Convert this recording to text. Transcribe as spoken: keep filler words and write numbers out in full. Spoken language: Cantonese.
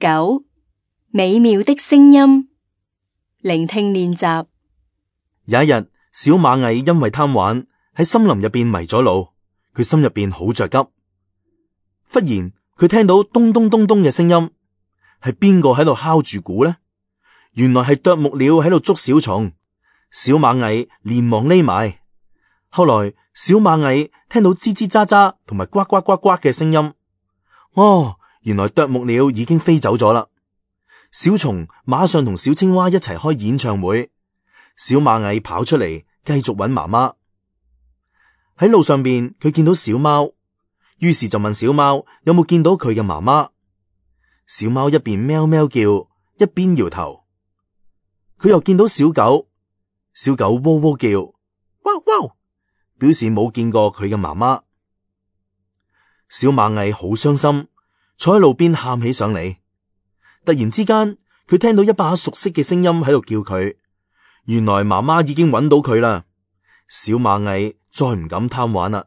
九，美妙的聲音，聆聽練習。有一日，小螞蟻因為貪玩喺森林入邊迷咗路，佢心入邊好着急。忽然佢聽到咚咚咚咚嘅聲音，係邊個喺度敲住鼓呢？原來係啄木鳥喺度捉小蟲。小螞蟻連忙匿埋。後來小螞蟻聽到吱吱喳喳同埋呱呱呱呱嘅聲音，哦，原來啄木鳥已經飛走咗啦。小蟲馬上同小青蛙一齊開演唱會。小螞蟻跑出嚟繼續揾媽媽。喺路上邊佢見到小貓，於是就問小貓有冇見到佢嘅媽媽。小貓一邊喵喵叫，一邊搖頭。佢又見到小狗，小狗喔喔叫，汪汪，表示冇見過佢嘅媽媽。小螞蟻好傷心，坐喺路邊喊起上嚟。突然之間，佢聽到一把熟悉嘅聲音喺度叫佢。原來媽媽已經揾到佢啦。小螞蟻再唔敢貪玩啦。